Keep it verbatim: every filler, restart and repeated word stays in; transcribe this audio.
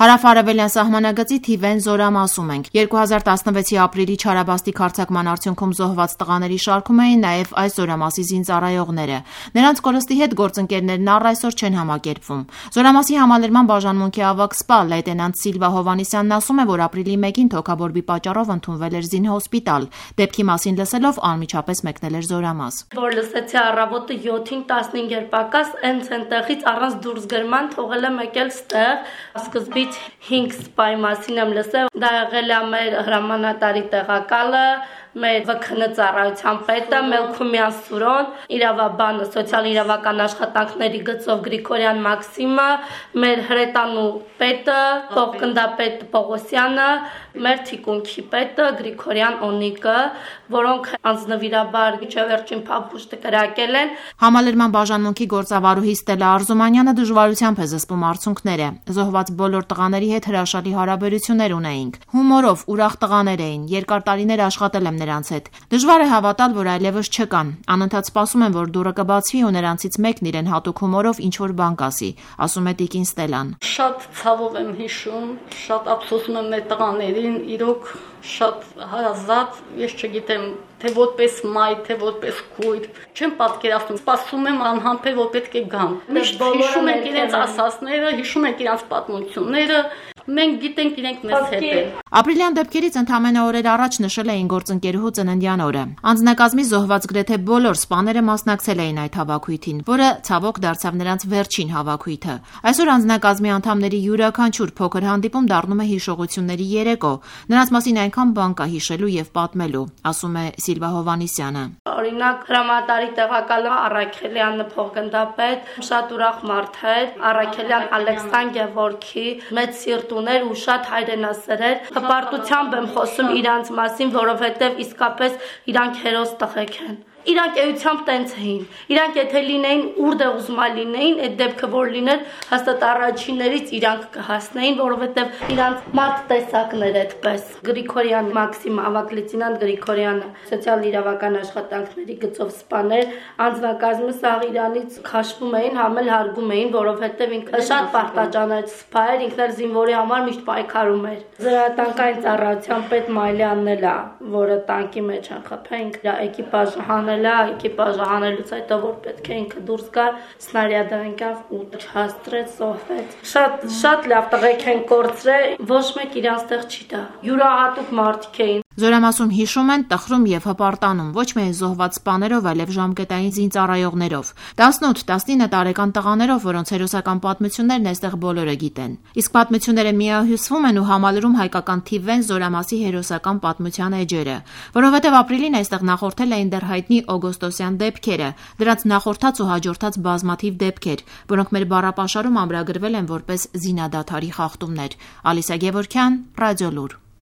Հարավ-արևելյան սահմանագծի Թիվեն Զորամասում ենք։ երկու հազար տասնվեցի ապրիլի չարաբաստիկ հարձակման արդյունքում զոհված տղաների շարքում էին նաև այս Զորամասի զինծառայողները։ Նրանց կորստի հետ գործընկերներն առ այսօր չեն համակերպվում։ Զորամասի համալրման բաժանմունքի ավագ սպա լեյտենանտ Սիլվա Հովհաննիսյանն ասում է, որ ապրիլի մեկին թոքաբորբի պատճառով ընդունվել էր զինհոսպիտալ։ Դեպքի մասին լսելով անմիջապես մեկնել էր Զորամաս։ Որ լսեցի առավոտը յոթին տասնհինգ պակաս հենց այնտեղից առանց դուրս գրման թողել եմ եկել ստեղ։ Սկզբից հինգ սպայի մասին եմ լսել, դա եղել է մեր հրամանատարի տեղակալը, մեր ՎՔՆ ծառայության պետը Մելքումյան Սուրոն, իրավաբանը, սոցիալ-իրավական աշխատանքների գծով Գրիգորյան Մաքսիմը, մեր հրետանու պետը, փոխգնդապետ Պողոսյանը, մեր թիկունքի պետը Գրիգորյան Օնիկը, որոնք անձնվիրաբար միջավերջին փափուշտ կրակել են։ Համալրման բաժանմունքի գործավարուհի Ստելա Արզումանյանը դժվարությամբ է զսպում արդյունքները։ Զոհված բոլոր տղաների հետ հրաշալի հարաբերություններ ունեինք։ Հումորով, ուրախ տղաներ էին, երկար տարիներ աշխատել եմ նրանց հետ։ Դժվար է հավատալ, որ այլևս չկան։ Անընդհատ սպասում եմ, որ դուռը կբացվի ու նրանցից մեկն իրեն հատուկ հումորով ինչ-որ բան կասի, ասում է տիկին Ստելան։ Շատ ցավով եմ հիշում, շատ ափսոսում եմ մեր տղաներին, իրոք շատ հարազատ, ես չգիտեմ, թե որպես մայր, թե որպես քույր, չեմ պատկերացնում, սպասում եմ անհամբեր, որ պետք է գան։ Միշտ հիշում ենք իրենց ասածները, հիշում ենք իրենց պատմությունները, մենք գիտենք իրենք մեզ հետ են։ Ապրիլյան դեպքերից ընդամենը օրեր առաջ նշել էին գործընկերուհու ծննդյան օրը։ Անձնակազմի զոհված գրեթե բոլոր սպաները մասնակցել էին այդ հավաքույթին, որը ցավոք դարձավ նրանց վերջին հավաքույթը։ Այսօր անձնակազմի անդամների յուրաքանչյուր փոքր հանդիպում դառնում է հիշողությունների երեկո։ Նրանց մասին այնքան բան կա հիշելու եւ պատմելու, ասում է Սիլվա Հովհաննիսյանը։ Օրինակ հրամանատարի տեղակալը Առաքելյանը փոխգնդապետ, շատ ուրախ մարդ էր, Առաքելյան Ալեքսան Գևորգի, մեծ սիրտ ուներ ու շատ հայրենասեր։ Հպարտությամբ եմ խոսում իրանց մասին, որովհետև իսկապես իրանք հերոս տղեկ են։ Իրանք էությամբ տենց էին։ Իրանք եթե լինեին ուր ուզում լինեին, այդ դեպքը որ լիներ, հաստատ առաջիններից իրանք կհասնեին, որովհետև իրանք մարդ տեսակներ այդպես։ Գրիգորյան Մաքսիմ, ավագ լեյտենանտ Գրիգորյանը, սոցիալ-իրավական աշխատանքների գծով սպաներ, անձնակազմը սաղ իրանից քաշվում էին, համել հարգում էին, որովհետև ինքը շատ պարտաճանաչ սպա էր, ինքն էլ զինվորի համար միշտ պայքարում էր։ Զրահատանկային ծառայության պետ Մայլյանն էլ է, որը տանկի մեջ են խփել, ինքը էկիպաժը հանելա, էկիպաժը հանելուց հետո որ պետք է ինքը դուրս գար, սնարյադը ընկավ ու չհաստրեց, զոհվեց։ Շատ շատ լավ տղեկ են կորցրել, ոչ մեկ իրանց տեղ չի տա։ Յուրահատուկ մարդիկ էին։ Զորամասում հիշում են, տխրում եւ հպարտանում, ոչ միայն զոհված սպաներով, այլև ժամկետային զինծառայողներով, տասնութ-տասնինը տարեկան տղաներով, որոնց հերոսական պատմություններն այստեղ բոլորը գիտեն։ Իսկ պատմությունները միահյուսվում են ու համալրում հայկական Թիվեն Զորամասի հերոսական պատմության էջերը, որովհետեւ ապրիլին այստեղ նախորդել էին դեռ հայտնի օգոստոսյան դեպքերը, դրանց նախորդած ու հաջորդած բազմաթիվ դեպքեր, որոնք մեր բառապաշարում ամրագրվել են որպես զինադադարի խախտումներ։ Ալիսա Գևորգյան, Ռադիոլուր։